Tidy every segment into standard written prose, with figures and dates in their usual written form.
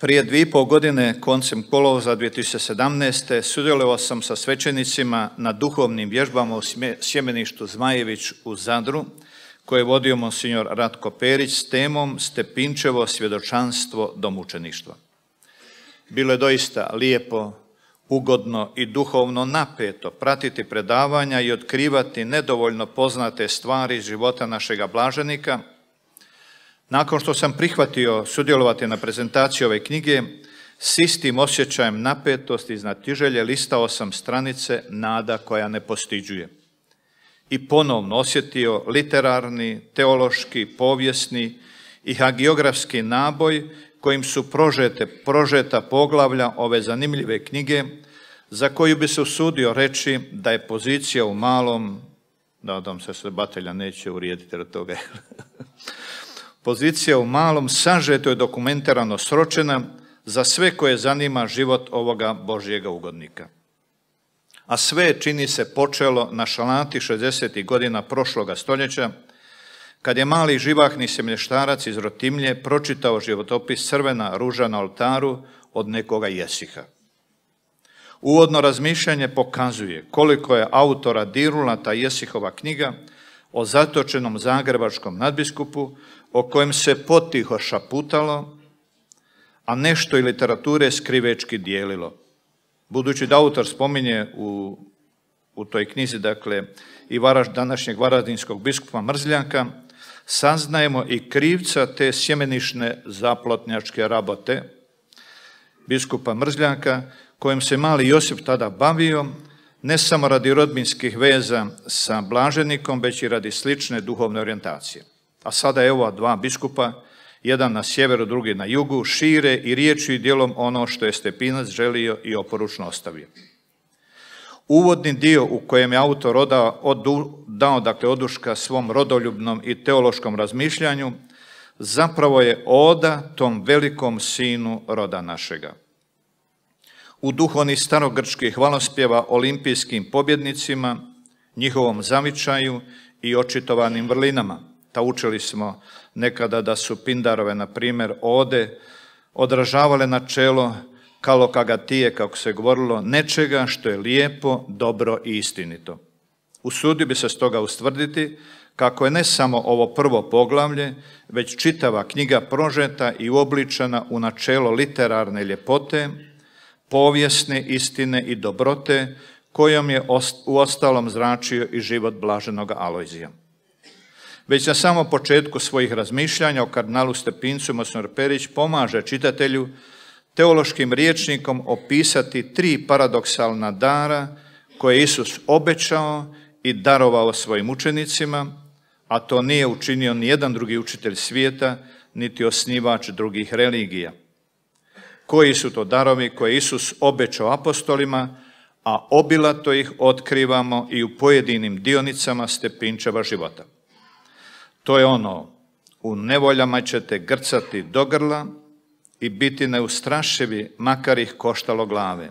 Prije 2,5 godine, koncem kolovoza 2017. sudjelovao sam sa svećenicima na duhovnim vježbama u sjemeništu Zmajević u Zadru, koje je vodio monsignor Ratko Perić s temom Stepinčevo svjedočanstvo do mučeništva. Bilo je doista lijepo, ugodno i duhovno napeto pratiti predavanja i otkrivati nedovoljno poznate stvari iz života našega blaženika. Nakon što sam prihvatio sudjelovati na prezentaciji ove knjige, s istim osjećajem napetosti i znatiželje listao sam stranice Nada koja ne postiđuje. I ponovno osjetio literarni, teološki, povijesni i hagiografski naboj kojim su prožeta poglavlja ove zanimljive knjige, za koju bi se usudio reći da je pozicija u malom, nadam se se Batelja neće urijediti od toga, pozicija u malom sažeto je dokumentarano sročena za sve koje zanima život ovoga Božjega ugodnika. A sve čini se počelo na šalanti 60. godina prošloga stoljeća, kad je mali živahni semlještarac iz Rotimlje pročitao životopis Crvena ruža na oltaru od nekoga Jesiha. Uvodno razmišljanje pokazuje koliko je autora dirnula ta Jesihova knjiga o zatočenom zagrebačkom nadbiskupu, o kojem se potiho šaputalo, a nešto i literature skrivečki dijelilo. Budući da autor spominje u toj knjizi, dakle, i današnjeg varaždinskog biskupa Mrzljaka, saznajemo i krivca te sjemenišne zaplotnjačke rabote biskupa Mrzljaka, kojim se mali Josip tada bavio, ne samo radi rodbinskih veza sa blaženikom, već i radi slične duhovne orijentacije. A sada je ova dva biskupa, jedan na sjeveru, drugi na jugu, šire i riječju i djelom ono što je Stepinac želio i oporučno ostavio. Uvodni dio u kojem je autor dao oduška svom rodoljubnom i teološkom razmišljanju, zapravo je oda tom velikom sinu roda našega. U duhu onih starogrčkih hvalospjeva olimpijskim pobjednicima, njihovom zavičaju i očitovanim vrlinama. Ta učili smo nekada da su Pindarove, na primjer, ode odražavale načelo kalokagatije, kako se govorilo, nečega što je lijepo, dobro i istinito. Usudio bi se stoga ustvrditi kako je ne samo ovo prvo poglavlje, već čitava knjiga prožeta i uobličena u načelo literarne ljepote, povijesne istine i dobrote, kojom je uostalom zračio i život blaženog Alojzija. Već na samom početku svojih razmišljanja o kardinalu Stepincu monsignor Perić pomaže čitatelju teološkim rječnikom opisati 3 paradoksalna dara koje je Isus obećao i darovao svojim učenicima, a to nije učinio nijedan drugi učitelj svijeta, niti osnivač drugih religija. Koji su to darovi koje Isus obećao apostolima, a obilato ih otkrivamo i u pojedinim dionicama Stepinčeva života. To je ono, u nevoljama ćete grcati do grla i biti neustrašivi, makar ih koštalo glave.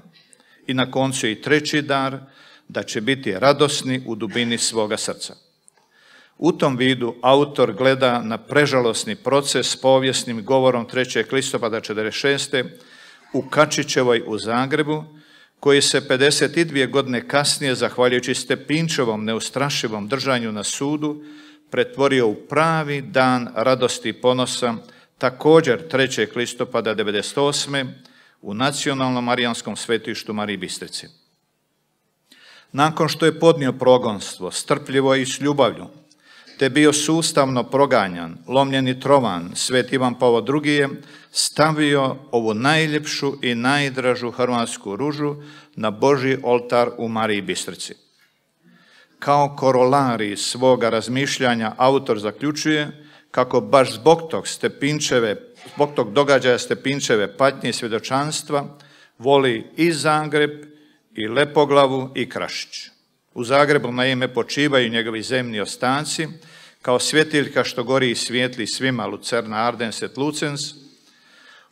I na koncu i 3. dar, da će biti radosni u dubini svoga srca. U tom vidu autor gleda na prežalosni proces s povijesnim govorom 3. listopada 1946. u Kačićevoj u Zagrebu, koji se 52 godine kasnije, zahvaljujući Stepinčevom neustrašivom držanju na sudu, pretvorio u pravi dan radosti i ponosa, također 3. listopada 1998. u Nacionalnom marijanskom svetištu Mariji Bistrici. Nakon što je podnio progonstvo, strpljivo i s ljubavlju, te bio sustavno proganjan, lomljen i trovan, Svet Ivan Pavao II je stavio ovu najljepšu i najdražu hrvatsku ružu na Božji oltar u Mariji Bistrici. Kao korolarij svoga razmišljanja autor zaključuje kako baš zbog tog događaja Stepinčeve patnje i svjedočanstva voli i Zagreb, i Lepoglavu, i Krašić. U Zagrebu naime počivaju njegovi zemni ostaci, kao svjetiljka što gori i svijetli svima, Lucerna Ardens et Lucens.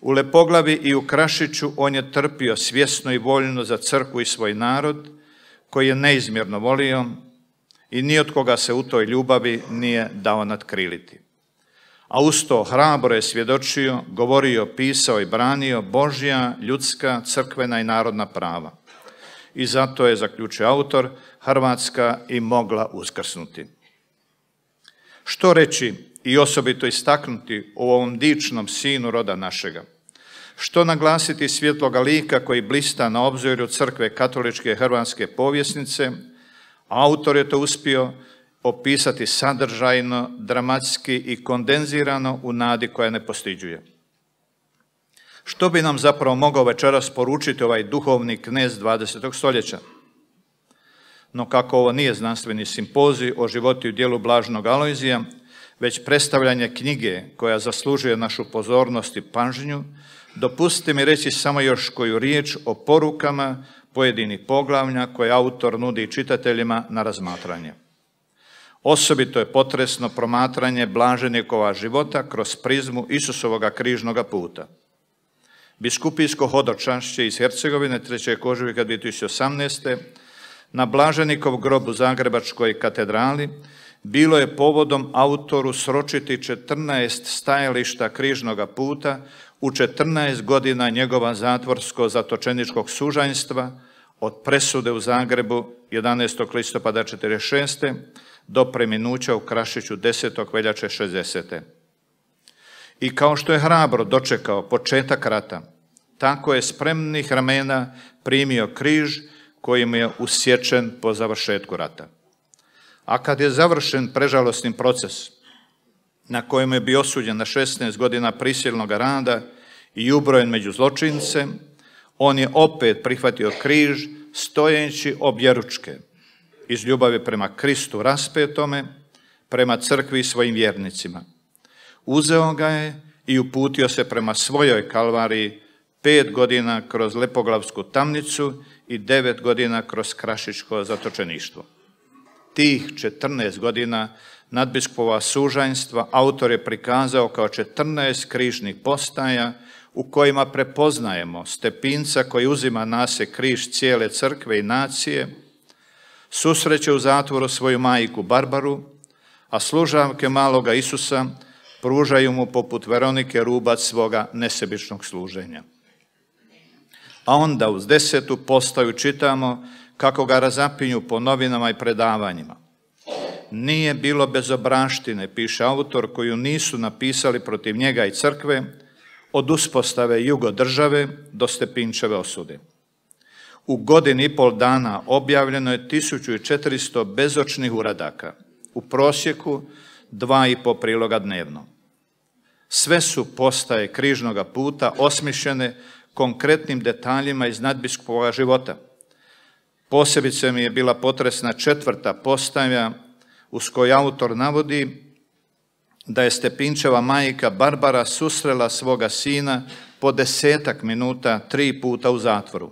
U Lepoglavi i u Krašiću on je trpio svjesno i voljno za crkvu i svoj narod, koji je neizmjerno volio i ni od koga se u toj ljubavi nije dao natkriliti. a uz to hrabro je svjedočio, govorio, pisao i branio Božja, ljudska, crkvena i narodna prava. I zato je, zaključio autor, Hrvatska i mogla uskrsnuti. Što reći i osobito istaknuti u ovom dičnom sinu roda našega? Što naglasiti svjetloga lika koji blista na obzoru crkve katoličke hrvatske povjesnice? Autor je to uspio opisati sadržajno, dramatski i kondenzirano u nadi koja ne postiđuje. Što bi nam zapravo mogao večeras poručiti ovaj duhovni knez 20. stoljeća? No kako ovo nije znanstveni simpozij o životu i djelu blaženog Alojzija, već predstavljanje knjige koja zaslužuje našu pozornost i pažnju, dopustite mi reći samo još koju riječ o porukama pojedinih poglavlja koje autor nudi čitateljima na razmatranje. Osobito je potresno promatranje blaženikova života kroz prizmu Isusovoga križnoga puta. Biskupijsko hodočašće iz Hercegovine 3. ožujka 2018. na Blaženikov grob u Zagrebačkoj katedrali bilo je povodom autoru sročiti 14 stajališta križnoga puta u 14 godina njegova zatvorsko-zatočeničkog sužanjstva od presude u Zagrebu 11. listopada 1946. do preminuća u Krašiću 10. veljače 60. I kao što je hrabro dočekao početak rata, tako je spremnih ramena primio križ kojim je usječen po završetku rata. A kad je završen prežalosni proces na kojem je bio osuđen na 16 godina prisilnog rada i ubrojen među zločince, on je opet prihvatio križ stojeći objeručke iz ljubavi prema Kristu raspetome, prema crkvi i svojim vjernicima. Uzeo ga je i uputio se prema svojoj kalvariji 5 godina kroz Lepoglavsku tamnicu i 9 godina kroz Krašičko zatočeništvo. Tih 14 godina nadbiskupova sužanjstva autor je prikazao kao 14 križnih postaja u kojima prepoznajemo stepinca koji uzima na se križ cijele crkve i nacije, susreće u zatvoru svoju majku Barbaru, a služavke maloga Isusa pružaju mu poput Veronike Rubac svoga nesebičnog služenja. A onda uz 10. postaju čitamo kako ga razapinju po novinama i predavanjima. Nije bilo bezobraštine, piše autor, koju nisu napisali protiv njega i crkve, od uspostave jugodržave do Stepinčeve osude. U 1,5 dana objavljeno je 1400 bezočnih uradaka, u prosjeku 2,5 priloga dnevno. Sve su postaje križnoga puta osmišljene konkretnim detaljima iz nadbiskupovog života. Posebice mi je bila potresna 4. postaja uz koju autor navodi da je Stepinčeva majka Barbara susrela svoga sina po 10 minuta 3 puta u zatvoru.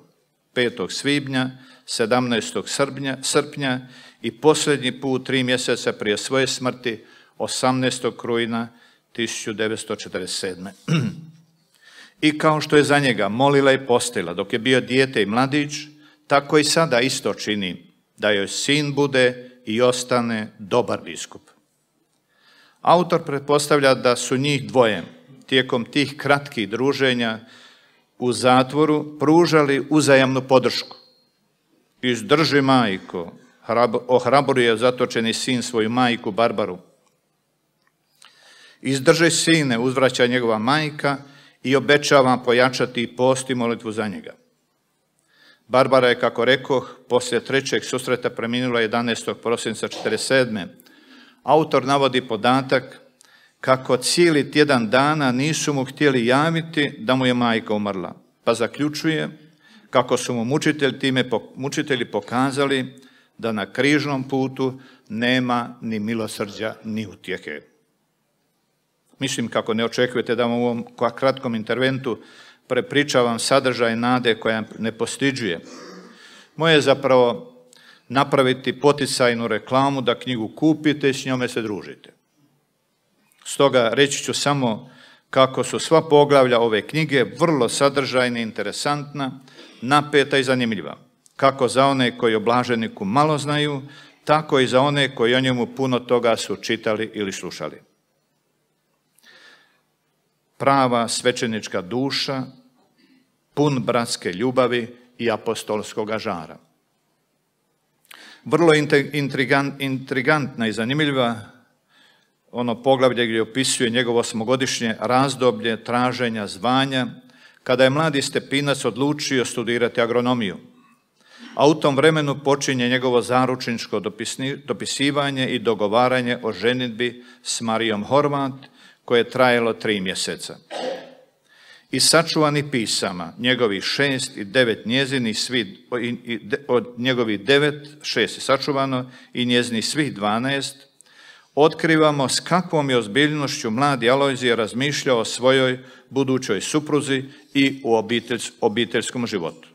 5. svibnja, 17. srpnja i posljednji put 3 mjeseca prije svoje smrti 18. rujna 1947. I kao što je za njega molila i postila dok je bio dijete i mladić, tako i sada isto čini da joj sin bude i ostane dobar biskup. Autor pretpostavlja da su njih dvoje tijekom tih kratkih druženja u zatvoru pružali uzajamnu podršku. Izdrži majko, ohrabruje zatočeni sin svoju majku Barbaru. Izdrži sine, uzvraća njegova majka i obećava pojačati post i molitvu za njega. Barbara je, kako rekoh, poslije 3. susreta preminula 11. prosinca 1947. Autor navodi podatak kako cijeli tjedan dana nisu mu htjeli javiti da mu je majka umrla, pa zaključuje kako su mu mučitelji pokazali da na križnom putu nema ni milosrđa ni utjehe. Mislim kako ne očekujete da vam u ovom kratkom interventu prepričavam sadržaj nade koja ne postiđuje. Moje je zapravo napraviti poticajnu reklamu da knjigu kupite i s njome se družite. Stoga reći ću samo kako su sva poglavlja ove knjige vrlo sadržajna, interesantna, napeta i zanimljiva. Kako za one koji o blaženiku malo znaju, tako i za one koji o njemu puno toga su čitali ili slušali. prava svećenička duša, pun bratske ljubavi i apostolskoga žara. Vrlo intrigantna i zanimljiva ono poglavlje gdje opisuje njegovo 8-godišnje razdoblje traženja zvanja, kada je mladi Stepinac odlučio studirati agronomiju. A u tom vremenu počinje njegovo zaručničko dopisivanje i dogovaranje o ženidbi s Marijom Horvat, koje je trajalo 3 mjeseca. Iz sačuvanih pisama, njegovih 6 i 9 njezinih, od njegovih 9, 6 je sačuvano i njezinih svih 12, otkrivamo s kakvom je ozbiljnošću mladi Alojzije razmišljao o svojoj budućoj supruzi i u obiteljskom životu.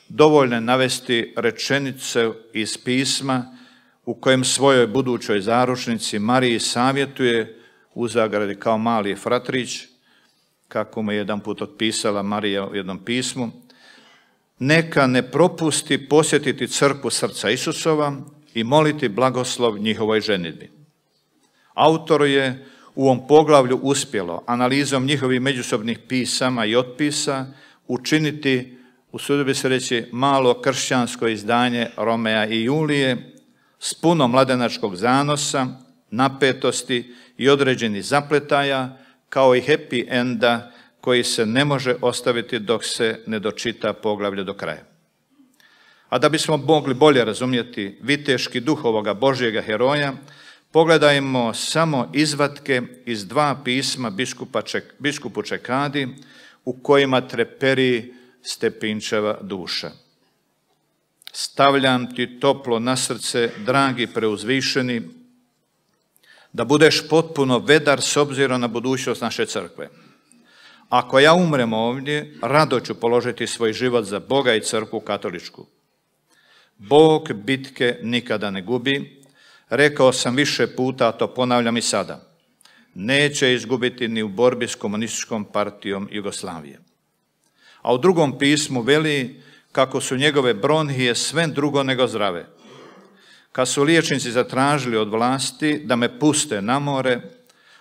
Dovoljno je navesti rečenice iz pisma u kojem svojoj budućoj zaručnici Mariji savjetuje, u zagradi kao mali fratrić, kako mu je jedan put otpisala Marija u jednom pismu, neka ne propusti posjetiti crkvu srca Isusova i moliti blagoslov njihovoj ženidbi. Autoru je u ovom poglavlju uspjelo analizom njihovih međusobnih pisama i otpisa učiniti, usudio bi se reći, malo kršćansko izdanje Romea i Julije s puno mladenačkog zanosa, napetosti i određenih zapletaja, kao i happy enda koji se ne može ostaviti dok se ne dočita poglavlje do kraja. A da bismo mogli bolje razumjeti viteški duh ovoga Božjega heroja, pogledajmo samo izvatke iz 2 pisma biskupu Čekadi u kojima treperi Stepinčeva duša. Stavljam ti toplo na srce, dragi preuzvišeni, da budeš potpuno vedar s obzirom na budućnost naše crkve. Ako ja umrem ovdje, rado ću položiti svoj život za Boga i crkvu katoličku. Bog bitke nikada ne gubi, rekao sam više puta, a to ponavljam i sada. Neće izgubiti ni u borbi s komunističkom partijom Jugoslavije. A u 2. pismu veli kako su njegove bronhije sve drugo nego zdrave. Kad su liječnici zatražili od vlasti da me puste na more,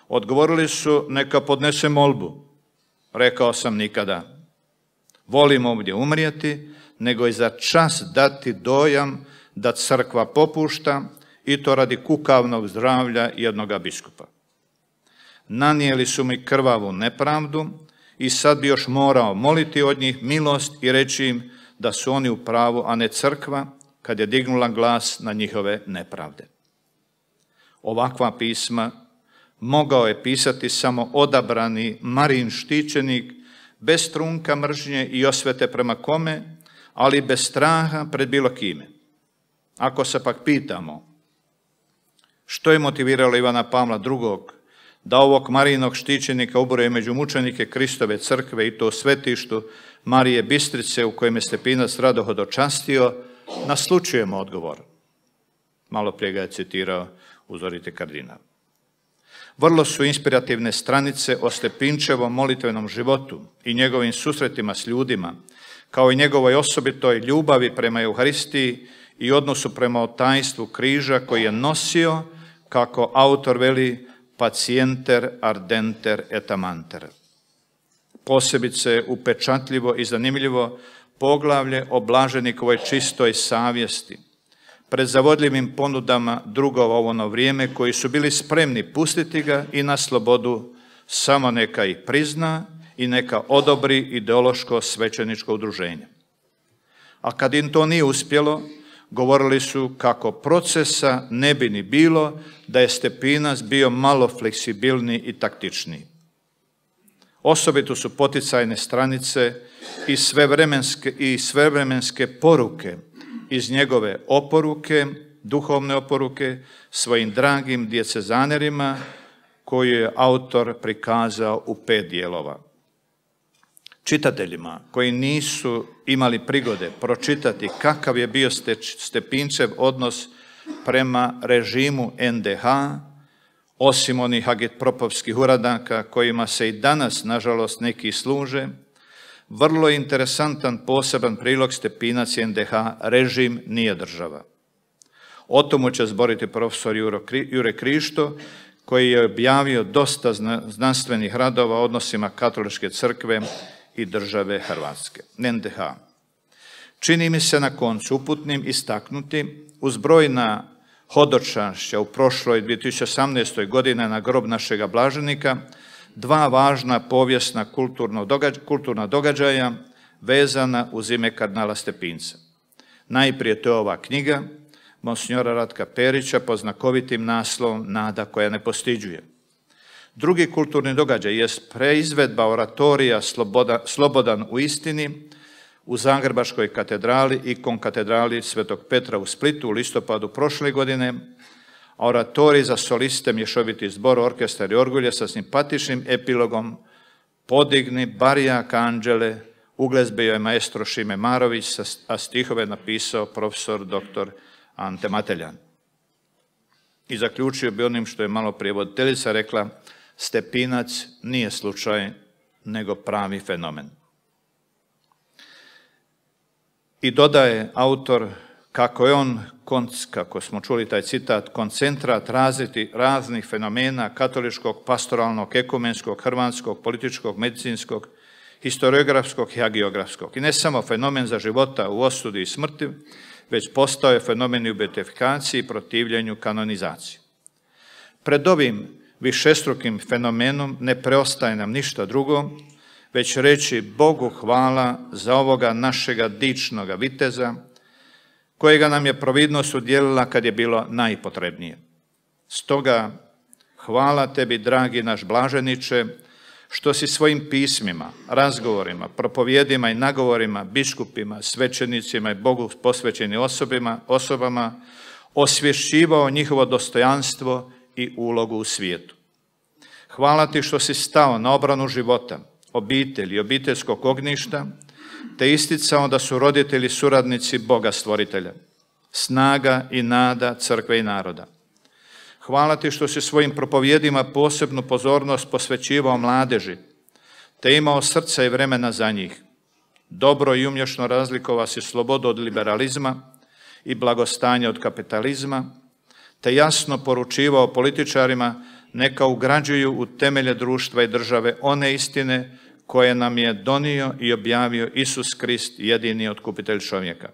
odgovorili su neka podnese molbu. Rekao sam nikada. Volim ovdje umrijeti, nego i za čas dati dojam da crkva popušta, i to radi kukavnog zdravlja jednoga biskupa. Nanijeli su mi krvavu nepravdu i sad bi još morao moliti od njih milost i reći im da su oni u pravu, a ne crkva, kad je dignula glas na njihove nepravde. Ovakva pisma mogao je pisati samo odabrani Marijin štićenik, bez trunka mržnje i osvete prema kome, ali bez straha pred bilo kime. Ako se pak pitamo što je motiviralo Ivana Pavla II. Da ovog Marijinog štićenika ubroje među mučenike Kristove crkve i to u svetištu Marije Bistrice u kojem je Stepinac rado hodočastio, naslučujemo odgovor. Malo prije ga je citirao uzoriti kardinal. Vrlo su inspirativne stranice o Stepinčevom molitvenom životu i njegovim susretima s ljudima, kao i njegovoj osobitoj ljubavi prema Euharistiji i odnosu prema tajstvu križa koji je nosio, kako autor veli, pacienter ardenter et amanter. Posebice upečatljivo i zanimljivo poglavlje o blaženikovoj čistoj savjesti, pred zavodljivim ponudama drugova u ono vrijeme koji su bili spremni pustiti ga i na slobodu, samo neka ih prizna i neka odobri ideološko svećeničko udruženje. A kad im to nije uspjelo, govorili su kako procesa ne bi ni bilo da je Stepinac bio malo fleksibilniji i taktičniji. Osobito su poticajne stranice i svevremenske poruke iz njegove oporuke, duhovne oporuke, svojim dragim djecezanerima koju je autor prikazao u 5 dijelova. Čitateljima koji nisu imali prigode pročitati kakav je bio Stepinčev odnos prema režimu NDH, osim onih agitpropovskih uradaka kojima se i danas, nažalost, neki služe, vrlo interesantan poseban prilog Stepinac i NDH, režim nije država. O tomu će zboriti profesor Jure Krišto, koji je objavio dosta znanstvenih radova o odnosima Katoličke crkve i države Hrvatske, NDH. Čini mi se na koncu uputnim istaknuti uz brojna hodočašća u prošloj 2018. godine na grob našega blaženika dva važna povijesna kulturna događaja vezana uz ime kardinala Stepinca. Najprije to je ova knjiga monsignora Ratka Perića pod znakovitim naslovom Nada koja ne postiđuje. Drugi kulturni događaj jest preizvedba oratorija Slobodan u istini u Zagrebačkoj katedrali i konkatedrali Svetog Petra u Splitu u listopadu prošle godine, a oratorij za soliste mješoviti zbor, orkestar i orgulje sa simpatičnim epilogom Podigni barijak anđele, uglezbio je maestro Šime Marović, a stihove napisao profesor dr. Ante Mateljan. I zaključio bi onim što je malo prije voditeljica rekla, Stepinac nije slučaj, nego pravi fenomen. I dodaje autor kako je on, kako smo čuli taj citat, koncentrat raznih fenomena katoličkog, pastoralnog, ekumenskog, hrvatskog, političkog, medicinskog, historiografskog i hagiografskog. I ne samo fenomen za života u osudi i smrti, već postao je fenomen i u beatifikaciji i protivljenju kanonizaciji. Pred ovim višestrukim fenomenom ne preostaje nam ništa drugo, već reći Bogu hvala za ovoga našega dičnoga viteza, kojega nam je providnost udjelila kad je bilo najpotrebnije. Stoga, hvala tebi, dragi naš blaženiče, što si svojim pismima, razgovorima, propovjedima i nagovorima, biskupima, svećenicima i Bogu posvećenim osobama osvješćivao njihovo dostojanstvo i ulogu u svijetu. Hvala ti što si stao na obranu života, obitelji i obiteljskog ognjišta, te isticao da su roditelji suradnici Boga stvoritelja, snaga i nada crkve i naroda. Hvala ti što si svojim propovjedima posebnu pozornost posvećivao mladeži, te imao srca i vremena za njih. Dobro i umješno razlikovao si slobodu od liberalizma i blagostanje od kapitalizma, te jasno poručivao političarima neka ugrađuju u temelje društva i države one istine koje nam je donio i objavio Isus Krist, jedini otkupitelj čovjeka.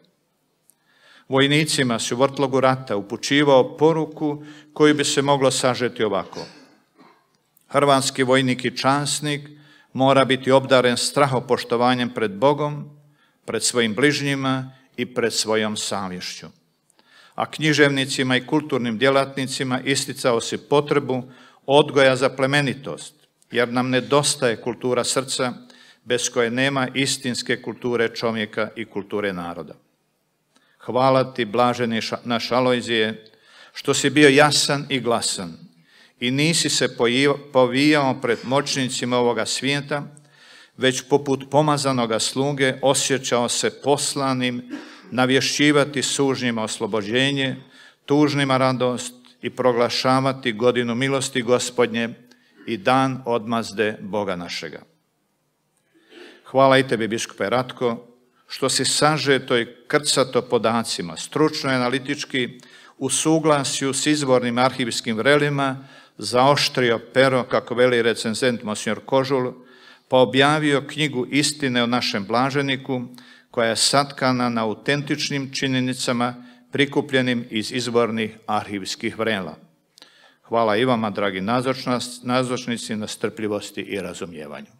Vojnicima si u vrtlogu rata upućivao poruku koju bi se moglo sažeti ovako. Hrvatski vojnik i časnik mora biti obdaren strahopoštovanjem pred Bogom, pred svojim bližnjima i pred svojom savješću. A književnicima i kulturnim djelatnicima isticao si potrebu odgoja za plemenitost, jer nam nedostaje kultura srca bez koje nema istinske kulture čovjeka i kulture naroda. Hvala ti, blaženi naš Alojzije, što si bio jasan i glasan i nisi se povijao pred moćnicima ovoga svijeta, već poput pomazanoga sluge osjećao se poslanim navješćivati sužnjima oslobođenje, tužnima radost i proglašavati godinu milosti Gospodnje i dan odmazde Boga našega. Hvala i tebi, biskupe Ratko, što si sažeto i krcato podacima, stručno i analitički, u suglasju s izvornim arhivskim vrelima, zaoštrio pero, kako veli recenzent monsignor Kožul, pa objavio knjigu Istine o našem blaženiku, koja je satkana na autentičnim činjenicama prikupljenim iz izvornih arhivskih vrela. Hvala i vama, dragi nazočnici, na strpljivosti i razumijevanju.